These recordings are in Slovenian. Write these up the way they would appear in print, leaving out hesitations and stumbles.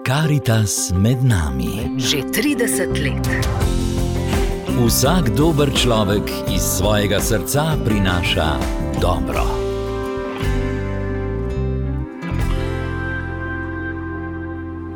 Karitas med nami. Že 30 let. Vsak dober človek iz svojega srca prinaša dobro.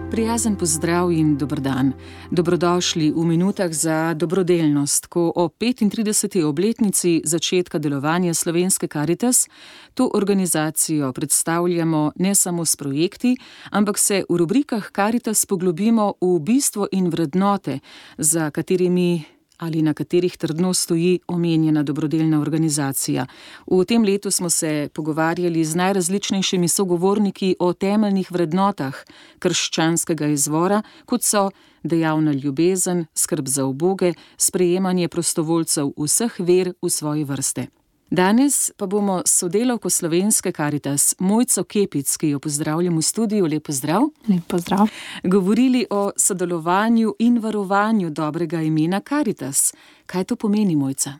Prijazen pozdrav in dober dan. Dobrodošli v minutah za dobrodelnost, ko o 35. obletnici začetka delovanja Slovenske Karitas to organizacijo predstavljamo ne samo s projekti, ampak se v rubrikah Karitas poglobimo v bistvo in vrednote, za katerimi ali na katerih trdno stoji omenjena dobrodelna organizacija. V tem letu smo se pogovarjali z najrazličnejšimi sogovorniki o temeljnih vrednotah krščanskega izvora, kot so dejavna ljubezen, skrb za uboge, sprejemanje prostovoljcev vseh ver v svoji vrste. Danes pa bomo s sodelavko Slovenske Karitas Mojco Kepic, ki jo pozdravljam v studiu, lep pozdrav. Lep pozdrav. Govorili o sodelovanju in varovanju dobrega imena Karitas. Kaj to pomeni, Mojca?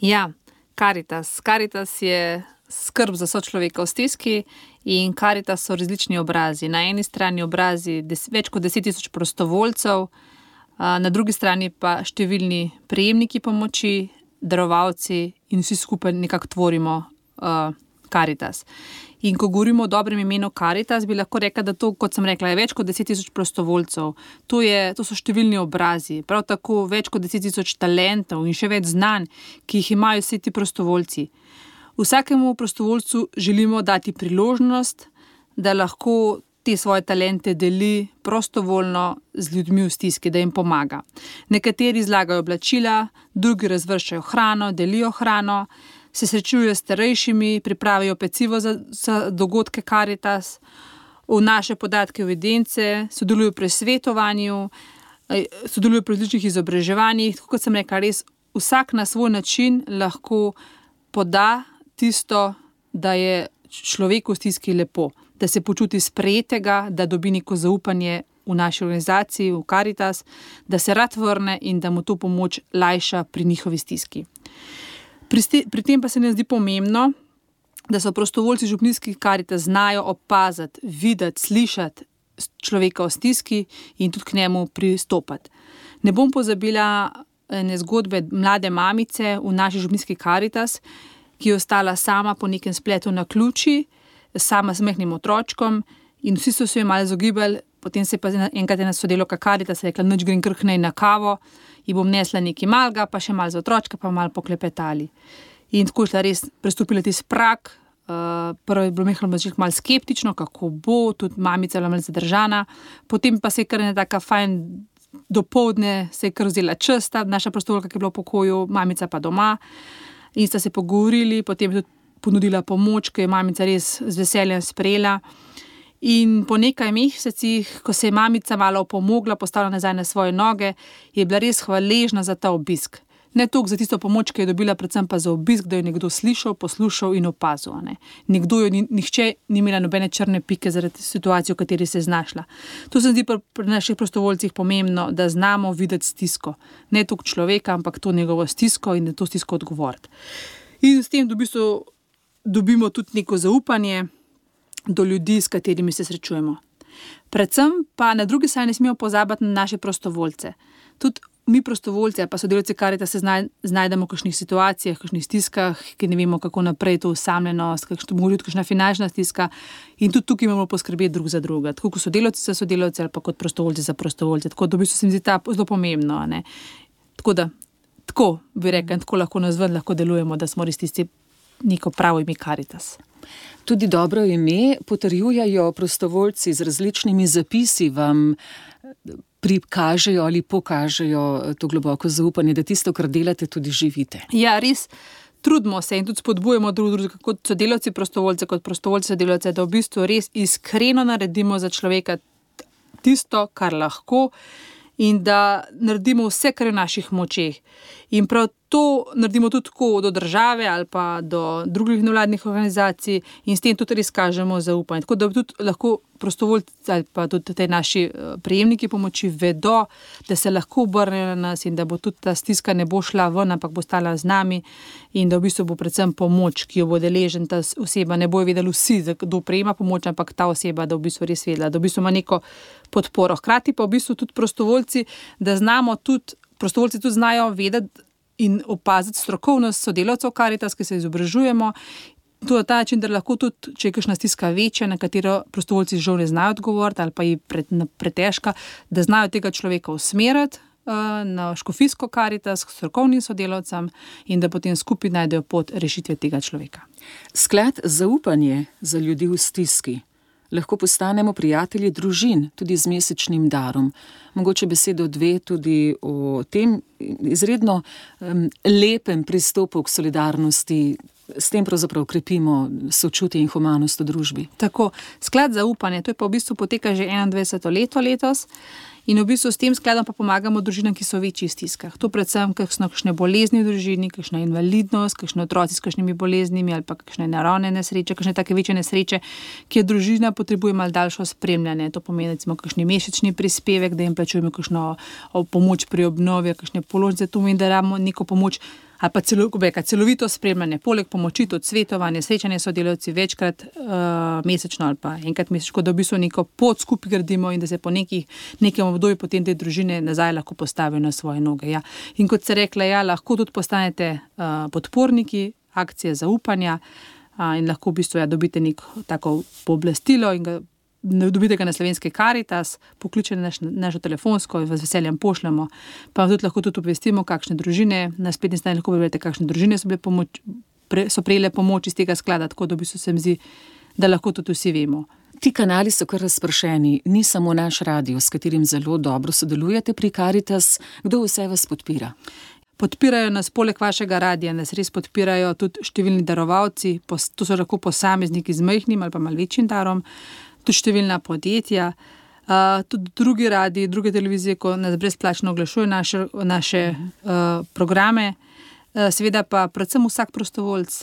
Ja, Karitas. Karitas je skrb za sočloveka v stiski in Karitas so različni obrazi. Na eni strani obrazi več kot 10 000 prostovoljcev, na drugi strani pa številni prejemniki pomoči, darovalci in vsi skupaj nekako tvorimo Karitas. In ko govorimo o dobrem imenu Karitas, bi lahko rekla, da to, kot sem rekla, je več kot 10 000 prostovoljcev. To so številni obrazi, prav tako več kot 10 000 talentov in še več znanj, ki jih imajo vsi ti prostovoljci. Vsakemu prostovoljcu želimo dati priložnost, da lahko te svoje talente deli prostovoljno z ljudmi v stiski, da jim pomaga. Nekateri zlagajo oblačila, drugi razvrščajo hrano, delijo hrano, se srečujejo s starejšimi, pripravijo pecivo za dogodke Karitas, vnašajo podatke v evidence, sodelujo pri svetovanju, sodelujo pri različnih izobraževanjih. Tako kot sem rekla, res vsak na svoj način lahko poda tisto, da je človeku v stiski lepo, da se počuti sprejetega, da dobi neko zaupanje v naši organizaciji, v Karitas, da se rad vrne in da mu to pomoč lajša pri njihovi stiski. Pri tem pa se ne zdi pomembno, da so prostovoljci župnijskih Karitas znajo opaziti, videti, slišati človeka v stiski in tudi k njemu pristopati. Ne bom pozabila ene zgodbe mlade mamice v naši župnijski Karitas, ki je ostala sama po nekem spletu na ključi, sama s majhnim otročkom in vsi so se jo malo izogibali, potem se je pa enkrat ena sodelavka Karitas rekla, nič grem kar k njej na kavo, ji bom nesla nekaj malega, pa še malo za otročka, pa malo poklepetali. In tako je šla res, prestopila tisti prag, prvo je bilo malo skeptično, kako bo, tudi mamica je bila malo zadržana, potem pa se je kar ena taka fajn dopoldne, se je kar vzela čas, ta naša prostovoljka, ki je bila v pokoju, mamica pa doma, in sta se pogovorili, potem je tudi ponudila pomoč, ki je mamica res z veseljem sprejela. In po nekaj mesecih, ko se je mamica malo opomogla, postavila nazaj na svoje noge, je bila res hvaležna za ta obisk. Ne toliko za tisto pomoč, ki je dobila, predvsem pa za obisk, da jo nekdo slišal, poslušal in opazil. Nihče ni imela nobene črne pike zaradi situacije, v kateri se je znašla. To se zdi pri naših prostovoljcih pomembno, da znamo videti stisko. Ne toliko človeka, ampak to njegovo stisko in da to stisko odgovoriti. In s tem v bistvu dobimo tudi neko zaupanje do ljudi, s katerimi se srečujemo. Predvsem pa na drugi strani ne smemo pozabiti na naše prostovoljce. Tudi mi prostovoljci, pa sodelavci Karitas se znajdemo v kakšnih situacijah, v kakšnih stiskah, ki ne vemo, kako naprej to osamljenost, kakšna finančna stiska in tudi tukaj imamo poskrbeti drug za druga. Tako kot sodelavci za sodelavce ali pa kot prostovoljci za prostovoljce. Tako da v bistvu se mi zdi ta zelo pomembno. Tako bi rekla, tako lahko nazven lahko delujemo, da smo res tisti neko pravo ime Karitas. Tudi dobro ime potrjujejo prostovoljci z različnimi zapisi, vam prikažejo ali pokažejo to globoko zaupanje, da tisto, kar delate, tudi živite. Ja, res trudimo se in tudi spodbujamo drugega, kot sodelavci prostovoljce, kot prostovoljci sodelavce, da v bistvu res iskreno naredimo za človeka tisto, kar lahko in da naredimo vse, kar je v naših močeh. In prav To naredimo tudi tako do države ali pa do drugih nevladnih organizacij in s tem tudi res kažemo zaupanje. Tako da tudi lahko prostovoljci ali pa tudi te naši prejemniki pomoči vedo, da se lahko obrnejo na nas in da bo tudi ta stiska ne bo šla ven, ampak bo stala z nami in da v bistvu bo predvsem pomoč, ki jo bo deležen ta oseba, ne bojo vedeli vsi, kdo prejema pomoč, ampak ta oseba, da v bistvu res vedela, da v bistvu ima neko podporo. Hkrati pa v bistvu tudi prostovoljci, da znamo tudi, prostovoljci tudi znajo vedeti in opaziti strokovnost sodelavcev Karitas, ki se izobražujemo. To je ta način, da lahko tudi, če je kakšna stiska večja, na katero prostovoljci žal ne znajo odgovoriti ali pa je pretežka, da znajo tega človeka usmeriti na škofijsko Karitas, k strokovnim sodelavcem in da potem skupaj najdejo pot rešitve tega človeka. Sklad zaupanje za ljudi v stiski. Lahko postanemo prijatelji družin, tudi z mesečnim darom. Mogoče besedo dve tudi o tem izredno lepem pristopu k solidarnosti. S tem pravzaprav krepimo sočutje in humanost v družbi. Tako, sklad zaupanja, to je pa v bistvu poteka že 21. leto letos in v bistvu s tem skladom pa pomagamo družinam, ki so v večjih stiskah. To predvsem kakšne bolezni v družini, kakšna invalidnost, kakšne otroci s kakšnimi boleznimi ali pa kakšne naravne nesreče, kakšne take večje nesreče, kjer družina potrebuje malo daljšo spremljanje. To pomeni recimo kakšni mesečni prispevek, da jim plačujemo kakšno pomoč pri obnovi, kakšne položnice, to pomeni, da damo neko pomoč ali pa celovito spremljanje, poleg pomoči tudi svetovanje, srečanje sodelavci večkrat mesečno ali pa enkrat mesečno, da v bistvu neko pot skupaj gradimo in da se po nekem obdobju potem te družine nazaj lahko postavijo na svoje noge. Ja. In kot se rekla, ja, lahko tudi postanete podporniki akcije zaupanja in lahko v bistvu dobite neko tako pooblastilo in dobite ga na slovenski Karitas, pokličete našo telefonsko in vas veseljem pošljemo. Pa tudi lahko tudi obvestimo, kakšne družine, na spletni strani lahko preberete, kakšne družine so prejele pomoč iz tega sklada, tako da v bistvu se mi zdi, da lahko tudi vsi vemo. Ti kanali so kar razpršeni, ni samo naš radio, s katerim zelo dobro sodelujete pri Karitas. Kdo vse vas podpira? Podpirajo nas poleg vašega radia, nas res podpirajo tudi številni darovalci, to so lahko posamezniki z majhnim ali pa malo večjim darom, tudi številna podjetja, tudi drugi radiji, druge televizije, ko nas brezplačno oglašujejo naše programe, seveda pa predvsem vsak prostovoljc,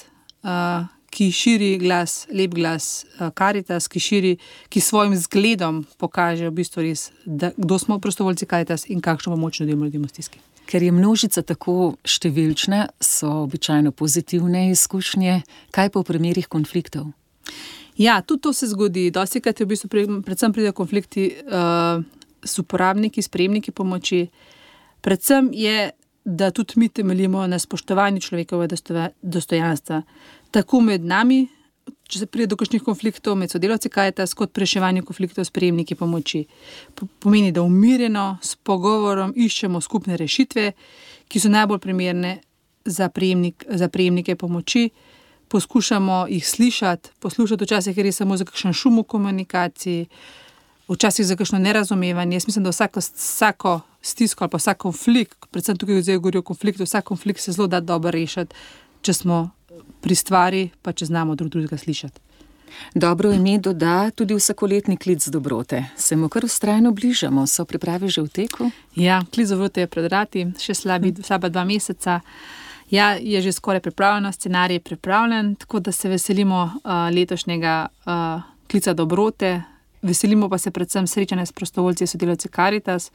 ki širi glas, lep glas Karitas, ki svojim zgledom pokaže v bistvu res, kdo smo prostovoljci Karitas in kakšno pomoč nudimo ljudem v stiski. Ker je množica tako številčna, so običajno pozitivne izkušnje. Kaj pa v primerih konfliktov? Ja, tudi to se zgodi. Dostikrat je v bistvu predvsem pridejo konflikti s uporabniki, s prejemniki pomoči. Predvsem je, da tudi mi temeljimo na spoštovanju človekovega dostojanstva. Tako med nami, če se pride do kakšnih konfliktov med sodelavci Karitas, kot pri reševanju konfliktov s prejemniki pomoči. Pomeni, da umirjeno, s pogovorom iščemo skupne rešitve, ki so najbolj primerne za prejemnike pomoči. Poskušamo jih slišati, poslušati včasih, ker je samo za kakšen šum v komunikaciji, včasih za kakšno nerazumevanje. Jaz mislim, da vsako stisko ali pa vsak konflikt, predvsem tukaj zdaj govori o konfliktu, vsak konflikt se zelo da dobro rešiti, če smo pri stvari, pa če znamo drugega slišati. Dobro ime doda tudi vsakoletni klic dobrote. Se mu kar vztrajno bližamo, so priprave že v teku? Ja, klic dobrote je pred vrati, še slaba 2 meseca. Ja, je že skoraj pripravljeno, scenarij je pripravljen, tako da se veselimo letošnjega klica dobrote. Veselimo pa se predvsem srečanja s prostovoljci, sodelavci Karitas.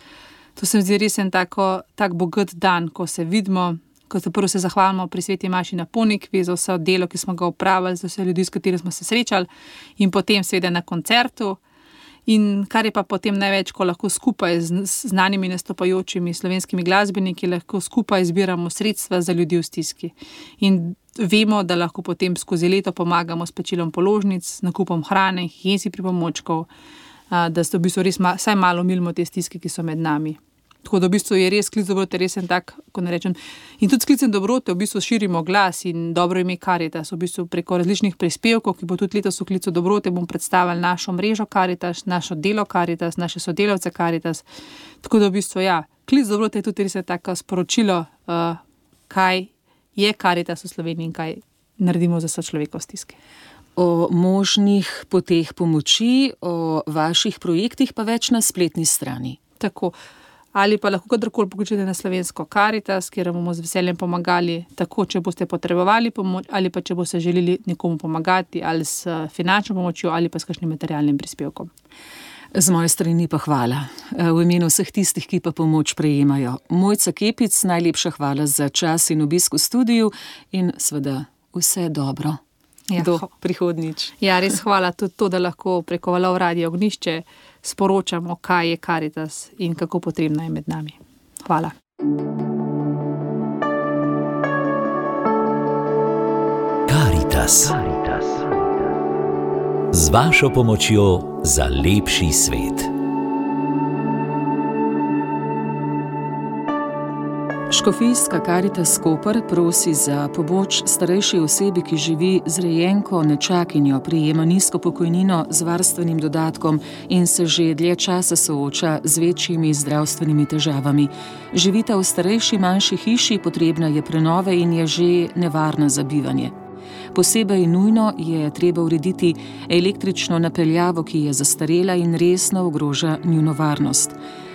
To se mi zdi res en tak bogat dan, ko se vidimo, ko se prvo zahvalimo pri Sveti Maši na Ponikvi za vse delo, ki smo ga opravili, za vse ljudi, s katerimi smo se srečali in potem seveda na koncertu. In kar je pa potem največ, ko lahko skupaj z znanimi nastopajočimi slovenskimi glasbeniki lahko skupaj zbiramo sredstva za ljudi v stiski. In vemo, da lahko potem skozi leto pomagamo s plačilom položnic, nakupom hrane, higienskih pripomočkov, da se v bistvu res vsaj malo milimo te stiske, ki so med nami. Tako da v bistvu je res klic dobrote res en tak, ko ne rečem. In tudi s klicem dobrote v bistvu širimo glas in dobro ime Karitas. V bistvu preko različnih prispevkov, ki bo tudi letos v klicu dobrote, bom predstavila našo mrežo Karitas, našo delo Karitas, naše sodelavce Karitas. Tako da v bistvu ja, klic dobrote je tudi res tako sporočilo, kaj je Karitas v Sloveniji in kaj naredimo za sočloveka v stiski. O možnih poteh pomoči, o vaših projektih pa več na spletni strani. Tako. ali pa lahko kadarkoli pokličete na slovensko Karitas, kjer bomo z veseljem pomagali, tako če boste potrebovali pomoč, ali pa če boste želeli nekomu pomagati, ali s finančno pomočjo, ali pa s kakšnim materialnim prispevkom. Z moje strani pa hvala. V imenu vseh tistih, ki pa pomoč prejemajo. Mojca Kepic, najlepša hvala za čas in obisk v studiu in seveda vse dobro. Do prihodnjič. Ja, res hvala tudi to, da lahko preko Valov Radio Ognjišče sporočamo, kaj je Karitas in kako potrebna je med nami. Hvala. Karitas. Z vašo pomočjo za lepši svet. Škofijska Karitas Koper prosi za pomoč starejši osebi, ki živi z rejenko nečakinjo, prejema nizko pokojnino z varstvenim dodatkom in se že dlje časa sooča z večjimi zdravstvenimi težavami. Živita v starejši manjši hiši, potrebna je prenove in je že nevarna za bivanje. Posebej nujno je treba urediti električno napeljavo, ki je zastarela in resno ogroža njuno varnost.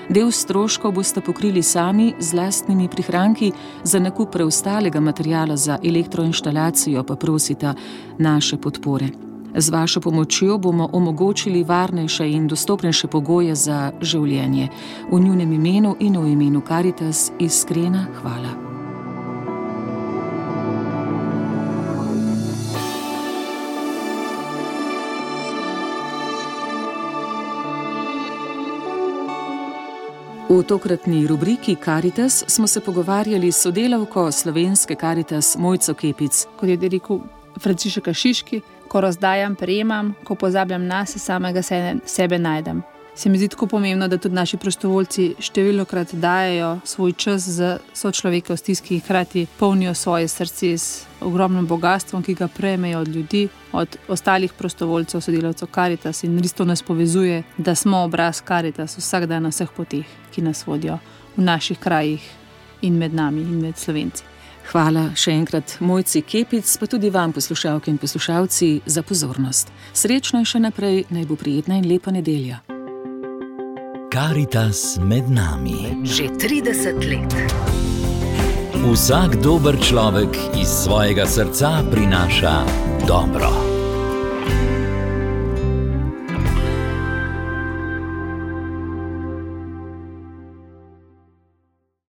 Del stroškov boste pokrili sami z lastnimi prihranki, za nakup preostalega materiala za elektroinštalacijo pa prosita naše podpore. Z vašo pomočjo bomo omogočili varnejše in dostopnejše pogoje za življenje. V njunem imenu in v imenu Karitas iskrena hvala. V tokratni rubriki Karitas smo se pogovarjali s sodelavko slovenske Karitas Mojco Kepic. Kot je rekel Frančišek Šiški, ko razdajam, prejemam, ko pozabljam nase, samega sebe najdem. Se mi zdi tako pomembno, da tudi naši prostovoljci številnokrat dajejo svoj čas za sočloveka v stiski, hkrati polnijo svoje srce s ogromnim bogastvom, ki ga prejmejo od ljudi, od ostalih prostovoljcev, sodelavcev Karitas, in res to nas povezuje, da smo obraz Karitas vsak dan na vseh poteh, ki nas vodijo v naših krajih in med nami in med Slovenci. Hvala še enkrat Mojci Kepic, pa tudi vam, poslušalke in poslušalci, za pozornost. Srečno in še naprej, naj bo prijetna in lepa nedelja. Karitas med nami. Že 30 let. Vsak dober človek iz svojega srca prinaša dobro.